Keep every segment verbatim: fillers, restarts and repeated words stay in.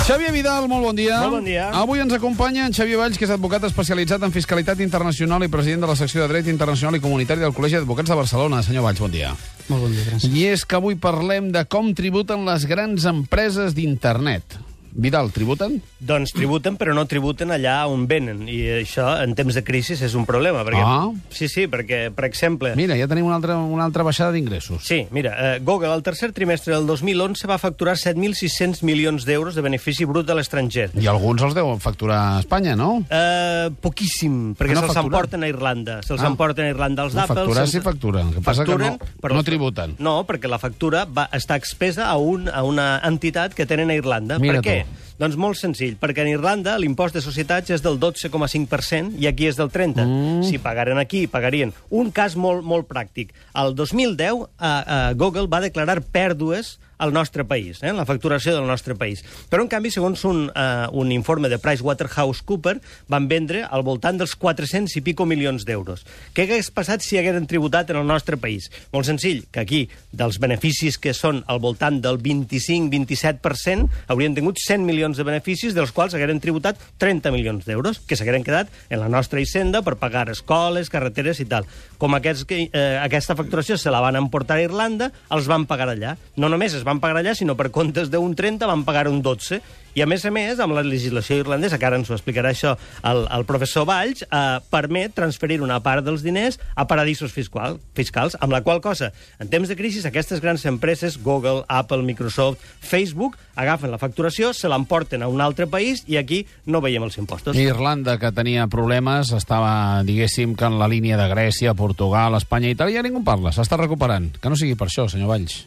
Xavier Vidal, molt bon dia. Molt bon dia. Avui ens acompanya en Xavier Valls, que és advocat especialitzat en fiscalitat internacional i president de la secció de dret internacional i comunitari del Col·legi d'Advocats de Barcelona. Senyor Valls, bon dia. Molt bon dia, gràcies. I és que avui parlem de com tributen les grans empreses d'internet. Vidal, tributen? Doncs tributen, però no tributen allà on venen. I això, en temps de crisi, és un problema. Perquè... Ah. Sí, sí, perquè, per exemple... Mira, ja tenim una altra, una altra baixada d'ingressos. Sí, mira, eh, Google al tercer trimestre del dos mil onze va facturar set mil sis-cents milions d'euros de benefici brut a l'estranger. I alguns els deuen facturar a Espanya, no? Eh, poquíssim, perquè no se'ls facturen? emporten a Irlanda. Se'ls Ah. emporten a Irlanda els No, d'Apple. facturar sense- sí facturen. El que passa Facturen, que no, però- no tributen. No, perquè la factura va estar expesa a, un, a una entitat que tenen a Irlanda. Mira per què? tu. Doncs molt senzill, perquè en Irlanda l'impost de societats és del dotze coma cinc per cent i aquí és del trenta per cent. Mm. Si pagaren aquí, pagarien. Un cas molt, molt pràctic. El dos mil deu, eh, eh, Google va declarar pèrdues al nostre país, eh, la facturació del nostre país. Però, en canvi, segons un, uh, un informe de PricewaterhouseCoopers, van vendre al voltant dels quatre-cents i pico milions d'euros. Què hagués passat si hagueren tributat en el nostre país? Molt senzill, que aquí, dels beneficis que són al voltant del vint-i-cinc a vint-i-set per cent, haurien tingut cent milions de beneficis, dels quals hagueren tributat trenta milions d'euros, que s'hagueren quedat en la nostra hisenda per pagar escoles, carreteres i tal. Com aquests, eh, aquesta facturació se la van emportar a Irlanda, els van pagar allà. No només es van pagar allà, sinó per comptes d'un trenta van pagar un dotze. I, a més a més, amb la legislació irlandesa, que ara ens ho explicarà això el, el professor Valls, eh, permet transferir una part dels diners a paradisos fiscal, fiscals, amb la qual cosa, en temps de crisi, aquestes grans empreses, Google, Apple, Microsoft, Facebook, agafen la facturació, se l'emporten a un altre país i aquí no veiem els impostos. Irlanda, que tenia problemes, estava, diguéssim, que en la línia de Grècia, Portugal, Espanya i Itàlia, ningú parla, s'està recuperant. Que no sigui per això, senyor Valls.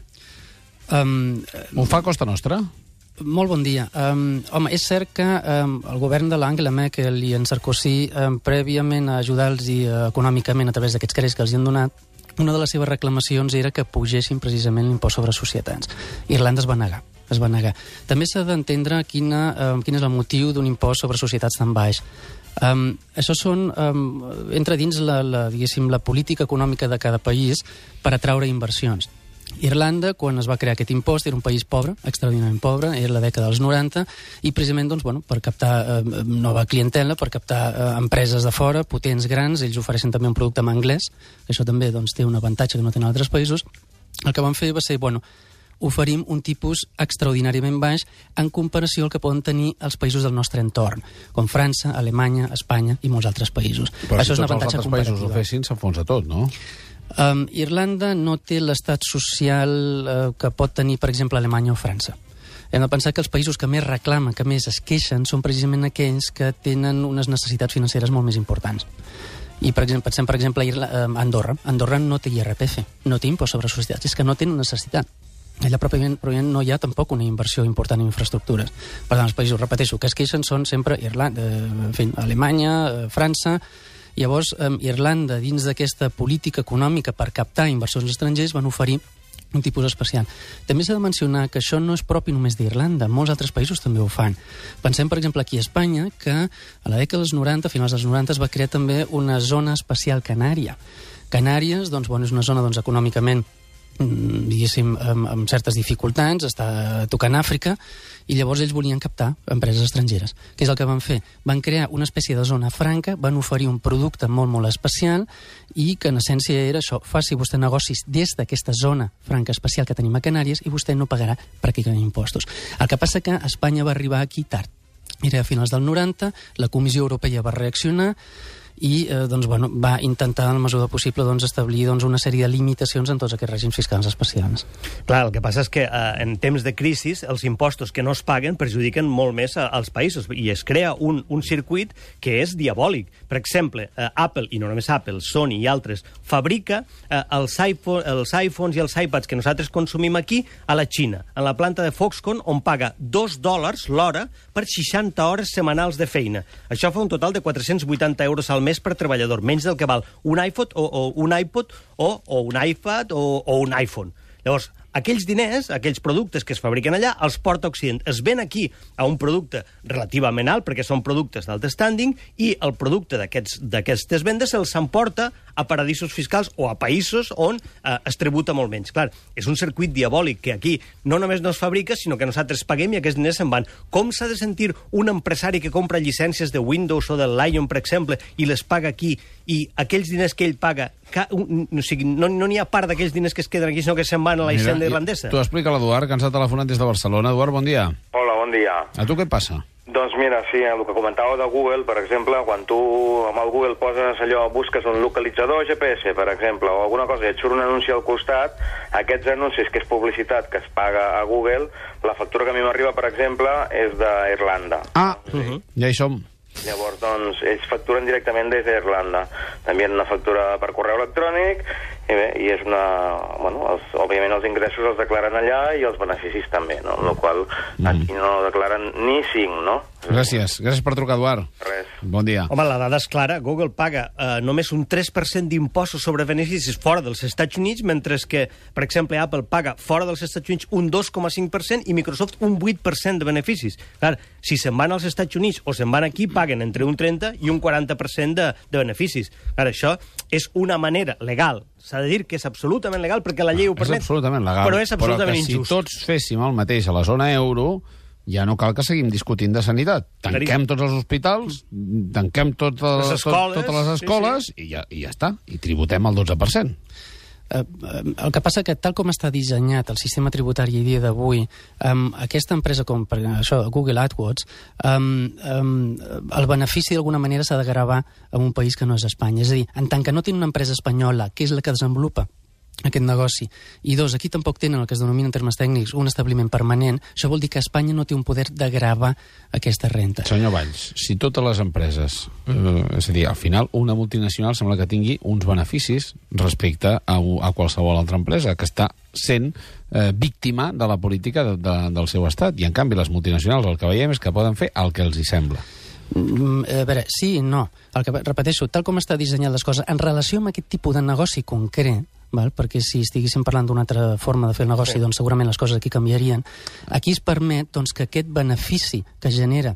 Um, Ho fa a costa nostra? molt bon dia. Um, home, és cert que um, el govern de l'Angela Merkel i en Sarkozy, um, prèviament a ajudar-los uh, econòmicament a través d'aquests crèdits que els hi han donat, una de les seves reclamacions era que pugessin precisament l'impost sobre societats. Irlanda es va negar. es va negar. També s'ha d'entendre quina, um, quin és el motiu d'un impost sobre societats tan baix. Um, això són, um, entra dins la, la, diguéssim, la política econòmica de cada país per atraure inversions. Irlanda, quan es va crear aquest impost, era un país pobre, extraordinàriament pobre, era la dècada dels noranta, i precisament doncs, bueno, per captar eh, nova clientela, per captar eh, empreses de fora, potents, grans, ells ofereixen també un producte en anglès, que això també doncs, té un avantatge que no tenen altres països. El que van fer va ser, bueno, oferim un tipus extraordinàriament baix en comparació al que poden tenir els països del nostre entorn, com França, Alemanya, Espanya i molts altres països. Però això si és un tots els avantatge altres països ho comparatiu. fessin, s'enfonsa tot, no? Um, Irlanda no té l'estat social uh, que pot tenir, per exemple, Alemanya o França. Hem de pensar que els països que més reclamen, que més es queixen, són precisament aquells que tenen unes necessitats financeres molt més importants. I, per exemple, pensem, per exemple, a Andorra. Andorra no té I R P F, no té impost sobre societats, és que no tenen necessitat. Allà pròpiament, pròpiament no hi ha tampoc una inversió important en infraestructures. Per tant, els països, repeteixo, que es queixen són sempre Irlanda, eh, en fi, Alemanya, eh, França. Llavors, eh, Irlanda, dins d'aquesta política econòmica per captar inversors estrangers, van oferir un tipus especial. També s'ha de mencionar que això no és propi només d'Irlanda, molts altres països també ho fan. Pensem, per exemple, aquí a Espanya, que a la dècada dels noranta, a finals dels noranta, es va crear també una zona especial canària. Canàries, doncs, bueno, és una zona doncs, econòmicament diguéssim, amb, amb certes dificultats, està tocant Àfrica, i llavors ells volien captar empreses estrangeres. Què és el que van fer? Van crear una espècie de zona franca, van oferir un producte molt, molt especial, i que en essència era això, faci vostè negocis des d'aquesta zona franca especial que tenim a Canàries i vostè no pagarà pràcticament impostos. El que passa que Espanya va arribar aquí tard. Era a finals del noranta, la Comissió Europea va reaccionar, i eh, doncs, bueno, va intentar, en la mesura possible, doncs, establir doncs, una sèrie de limitacions en tots aquests règims fiscals especials. Clar, el que passa és que eh, en temps de crisi els impostos que no es paguen perjudiquen molt més a, als països i es crea un, un circuit que és diabòlic. Per exemple, eh, Apple, i no només Apple, Sony i altres, fabrica eh, els, iPhone, els iPhones i els iPads que nosaltres consumim aquí a la Xina, en la planta de Foxconn, on paga dos dòlars l'hora per seixanta hores setmanals de feina. Això fa un total de quatre-cents vuitanta euros al mes per treballador, menys del que val un iPhone o, o un iPod o, o un iPad o, o un iPhone. Llavors, aquells diners, aquells productes que es fabriquen allà, els porta a Occident. Es ven aquí a un producte relativament alt, perquè són productes d'alt standing, i el producte d'aquestes vendes se'ls s'emporta a paradisos fiscals o a països on eh, es tributa molt menys. Clar, és un circuit diabòlic que aquí no només no es fabrica, sinó que nosaltres paguem i aquests diners se'n van. Com s'ha de sentir un empresari que compra llicències de Windows o del Lion, per exemple, i les paga aquí, i aquells diners que ell paga, ca, un, o sigui, no n'hi no ha part d'aquells diners que es queden aquí, sinó que se'n van a la hisenda irlandesa? Tu explica l'Eduard, que ens ha telefonat des de Barcelona. Eduard, bon dia. Hola, bon dia. A tu què et passa? Doncs mira, sí, el que comentàveu de Google, per exemple, quan tu amb el Google poses allò, busques un localitzador G P S, per exemple, o alguna cosa, i et surt un anunci al costat, aquests anuncis, que és publicitat que es paga a Google, la factura que a mi m'arriba, per exemple, és d'Irlanda. Ah, uh -huh. Ja hi som. Llavors, doncs, ells facturen directament des d'Irlanda. També una factura per correu electrònic, i bé, i és una... Bueno, els, òbviament els ingressos els declaren allà i els beneficis també, no? Amb la qual cosa aquí no declaren ni cinc, no? Gràcies. Gràcies per trucar, Eduard. Res. Bon dia. Home, la dada és clara. Google paga eh, només un tres per cent d'impostos sobre beneficis fora dels Estats Units, mentre que, per exemple, Apple paga fora dels Estats Units un dos coma cinc per cent i Microsoft un vuit per cent de beneficis. Clar, si se'n van als Estats Units o se'n van aquí, paguen entre un trenta i un quaranta per cent de, de beneficis. Clar, això és una manera legal. S'ha de dir que és absolutament legal perquè la llei ho permet. És absolutament legal. Però és absolutament però que injust. si tots féssim el mateix a la zona euro, ja no cal que seguim discutint de sanitat. Tanquem tots els hospitals, tanquem totes les, les escoles, tot, totes les escoles sí, sí. I, ja, i ja està. I tributem el dotze per cent. Uh, el que passa que tal com està dissenyat el sistema tributari a dia d'avui, um, aquesta empresa com per això, Google AdWords, um, um, el benefici d'alguna manera s'ha de gravar en un país que no és Espanya. És a dir, en tant que no té una empresa espanyola, que és la que desenvolupa aquest negoci, i dos, aquí tampoc tenen el que es denomina en termes tècnics un establiment permanent, això vol dir que Espanya no té un poder de gravar aquesta renta. Senyor Valls, si totes les empreses, eh, és a dir, al final una multinacional sembla que tingui uns beneficis respecte a, a qualsevol altra empresa, que està sent eh, víctima de la política de, de, del seu estat, i en canvi les multinacionals el que veiem és que poden fer el que els hi sembla. Mm, a veure, sí i no. El que repeteixo, tal com està dissenyat les coses, en relació amb aquest tipus de negoci concret, val? Perquè si estiguéssim parlant d'una altra forma de fer el negoci, sí. doncs segurament les coses aquí canviarien. Aquí es permet doncs, que aquest benefici que genera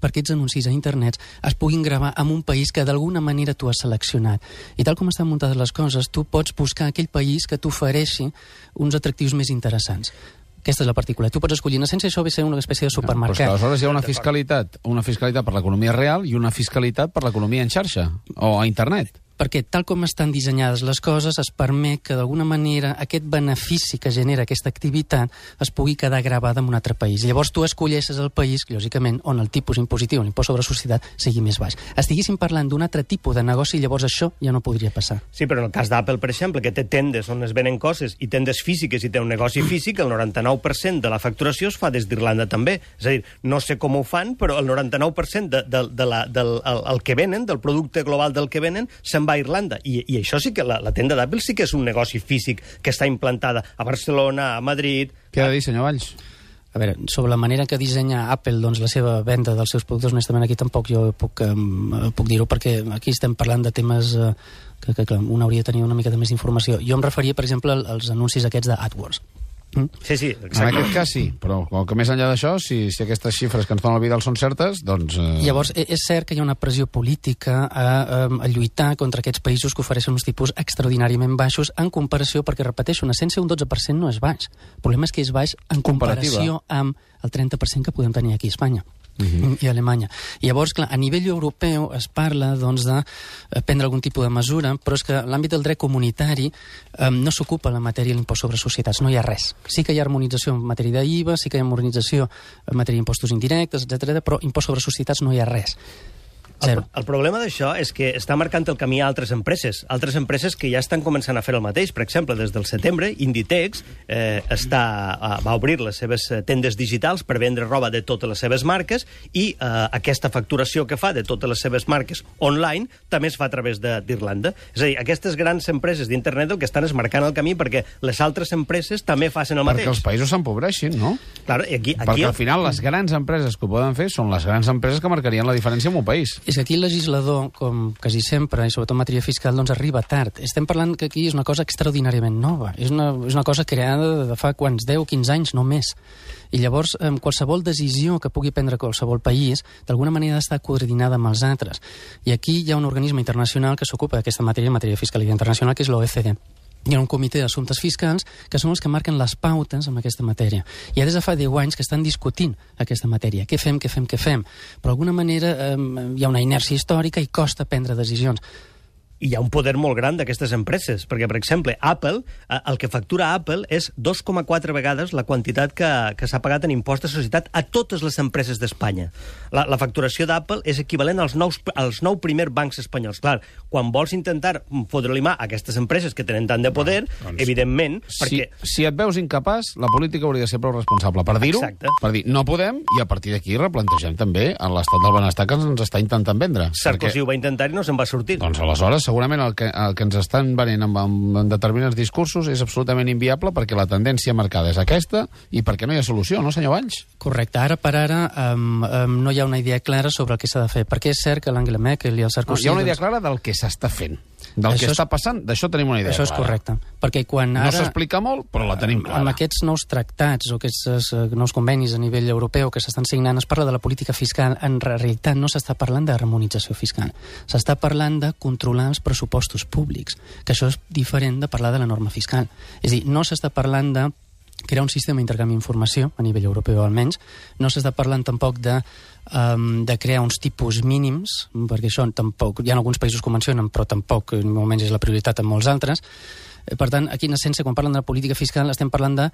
per aquests anuncis a internet es puguin gravar en un país que d'alguna manera tu has seleccionat. I tal com estan muntades les coses, tu pots buscar aquell país que t'ofereixi uns atractius més interessants. Aquesta és la particularitat. Tu pots escollir. En essència, això ve a ser una espècie de supermercat. No, però aleshores hi ha una fiscalitat, una fiscalitat per l'economia real i una fiscalitat per l'economia en xarxa o a internet. Perquè tal com estan dissenyades les coses es permet que d'alguna manera aquest benefici que genera aquesta activitat es pugui quedar gravada en un altre país. Llavors tu escolleixes el país, lògicament, on el tipus impositiu, l'impost sobre societat, sigui més baix. Estiguéssim parlant d'un altre tipus de negoci, llavors això ja no podria passar. Sí, però en el cas d'Apple, per exemple, que té tendes on es venen coses i tendes físiques i té un negoci físic, el noranta-nou per cent de la facturació es fa des d'Irlanda també. És a dir, no sé com ho fan, però el noranta-nou per cent de, de, de la, del el, el que venen, del producte global del que venen, se'n va a Irlanda. I, i això sí que la, la tenda d'Apple sí que és un negoci físic que està implantada a Barcelona, a Madrid... Què ha de dir, senyor Valls? A veure, sobre la manera que dissenya Apple doncs, la seva venda dels seus productes, honestament aquí tampoc jo puc, um, puc dir-ho, perquè aquí estem parlant de temes uh, que, que, que un hauria de tenir una miqueta més d'informació. Jo em referia, per exemple, als anuncis aquests d'AdWords. Mm? Sí, sí, exacte. En aquest cas sí, però com que més enllà d'això, si, si aquestes xifres que ens donen el Vidal són certes, doncs... Eh... Llavors, és cert que hi ha una pressió política a, a, a lluitar contra aquests països que ofereixen uns tipus extraordinàriament baixos en comparació, perquè, repeteixo, en essència un dotze per cent no és baix. El problema és que és baix en comparació amb el trenta per cent que podem tenir aquí a Espanya. Uh-huh. I a Alemanya. I llavors, clar, a nivell europeu es parla doncs, de prendre algun tipus de mesura, però és que l'àmbit del dret comunitari eh, no s'ocupa la matèria de l'impost sobre societats, no hi ha res. Sí que hi ha harmonització en matèria d'I V A, sí que hi ha harmonització en matèria d'impostos indirectes, etcètera, però impost sobre societats no hi ha res. El, el problema d'això és que està marcant el camí a altres empreses, altres empreses que ja estan començant a fer el mateix. Per exemple, des del setembre, Inditex eh, està, uh, va obrir les seves tendes digitals per vendre roba de totes les seves marques i eh, aquesta facturació que fa de totes les seves marques online també es fa a través d'Irlanda. És a dir, aquestes grans empreses d'internet el que estan és marcant el camí perquè les altres empreses també facin el mateix. Perquè els països s'empobreixin, no? Claro, i aquí, aquí... Perquè al final les grans empreses que ho poden fer són les grans empreses que marcarien la diferència en un país. És que aquí el legislador, com quasi sempre, i sobretot en matèria fiscal, doncs arriba tard. Estem parlant que aquí és una cosa extraordinàriament nova. És una, és una cosa creada de fa quants deu, quinze anys, no més. I llavors, eh, qualsevol decisió que pugui prendre qualsevol país, d'alguna manera ha d'estar coordinada amb els altres. I aquí hi ha un organisme internacional que s'ocupa d'aquesta matèria, en matèria de fiscalitat internacional, que és l'O E C D. Hi ha un comitè d'assumptes fiscals que són els que marquen les pautes en aquesta matèria. I ja des de fa deu anys que estan discutint aquesta matèria. Què fem, què fem, què fem? Però d'alguna manera eh, hi ha una inèrcia històrica i costa prendre decisions. I hi ha un poder molt gran d'aquestes empreses, perquè, per exemple, Apple, eh, el que factura Apple és dos coma quatre vegades la quantitat que, que s'ha pagat en impost de societat a totes les empreses d'Espanya. La, la facturació d'Apple és equivalent als, nous, als nou primers bancs espanyols. Clar, quan vols intentar fotre-li mà a aquestes empreses que tenen tant de poder, no, doncs, evidentment... Si, perquè... si et veus incapaç, la política hauria de ser prou responsable per dir-ho, per dir no podem, i a partir d'aquí replantegem també l'estat del benestar que ens està intentant vendre. Sarkozy perquè... ho va intentar i no se'n va sortir. Doncs aleshores, segurament el que, el que ens estan venent amb, amb, amb determinats discursos és absolutament inviable perquè la tendència marcada és aquesta i perquè no hi ha solució, no, senyor Valls? Correcte. Ara per ara um, um, no hi ha una idea clara sobre el que s'ha de fer. Perquè és cert que l'Angela Merkel i el Sarkozy... No, hi ha una idea clara del que s'està fent. Del això que és... està passant, d'això tenim una idea Això és clara. correcte. Perquè quan ara... No s'explica molt, però la tenim clara. Amb aquests nous tractats o aquests uh, nous convenis a nivell europeu que s'estan signant es parla de la política fiscal. En realitat no s'està parlant de harmonització fiscal. S'està parlant de controlar els pressupostos públics, que això és diferent de parlar de la norma fiscal. És a dir, no s'està parlant de crear un sistema d'intercanvi d'informació, a nivell europeu almenys, no s'està parlant tampoc de, um, de crear uns tipus mínims, perquè això tampoc, hi ha alguns països que ho mencionen, però tampoc, ni molt menys és la prioritat en molts altres. Per tant, aquí en essència, quan parlen de la política fiscal, estem parlant de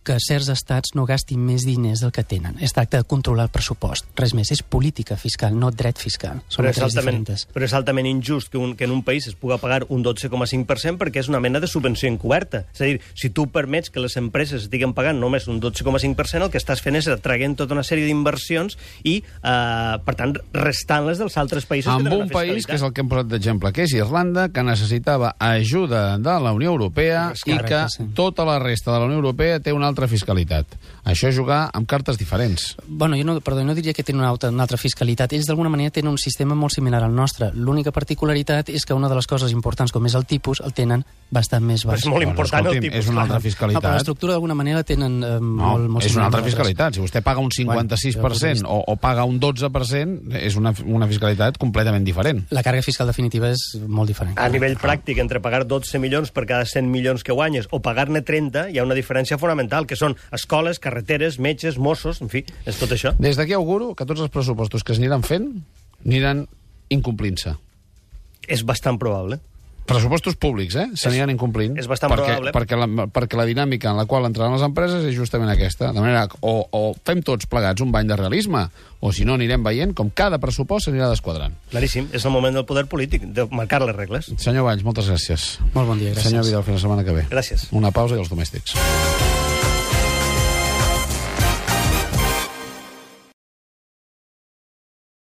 que certs estats no gastin més diners del que tenen. Es tracta de controlar el pressupost. Res més, és política fiscal, no dret fiscal. Són però, és altament, diferents. però és altament injust que, un, que en un país es puga pagar un dotze coma cinc per cent perquè és una mena de subvenció encoberta. És a dir, si tu permets que les empreses estiguen pagant només un dotze coma cinc per cent, el que estàs fent és atraient tota una sèrie d'inversions i, eh, per tant, restant-les dels altres països amb que tenen un una país, que és el que hem posat d'exemple, que és Irlanda, que necessitava ajuda de la Unió Europea i Correcte, que sí. tota la resta de la Unió Europea té una altra fiscalitat. Això és jugar amb cartes diferents. Bueno, jo no, perdó, no diria que tenen una altra, una altra fiscalitat. Ells, d'alguna manera, tenen un sistema molt similar al nostre. L'única particularitat és que una de les coses importants, com és el tipus, el tenen bastant més baix. És molt important bueno, el tipus. És una altra fiscalitat. No, però l'estructura, d'alguna manera, tenen eh, no, molt, molt és una altra similar. fiscalitat. Si vostè paga un cinquanta-sis per cent o, o paga un dotze per cent, és una, una fiscalitat completament diferent. La càrrega fiscal definitiva és molt diferent. A nivell pràctic, entre pagar dotze milions per cada cent milions que guanyes o pagar-ne trenta, hi ha una diferència fonamental, que són escoles, carreteres, metges, Mossos, en fi, és tot això. Des d'aquí auguro que tots els pressupostos que es aniran fent aniran incomplint-se. És bastant probable. Pressupostos públics, eh? S'aniran incomplint. És bastant perquè, probable. Perquè la, perquè la dinàmica en la qual entraran les empreses és justament aquesta. De manera, o, o fem tots plegats un bany de realisme, o si no anirem veient com cada pressupost s'anirà desquadrant. Claríssim, és el moment del poder polític, de marcar les regles. Senyor Valls, moltes gràcies. Molt bon dia, gràcies. Senyor Vidal, fins la setmana que ve. Gràcies. Una pausa i els domèstics.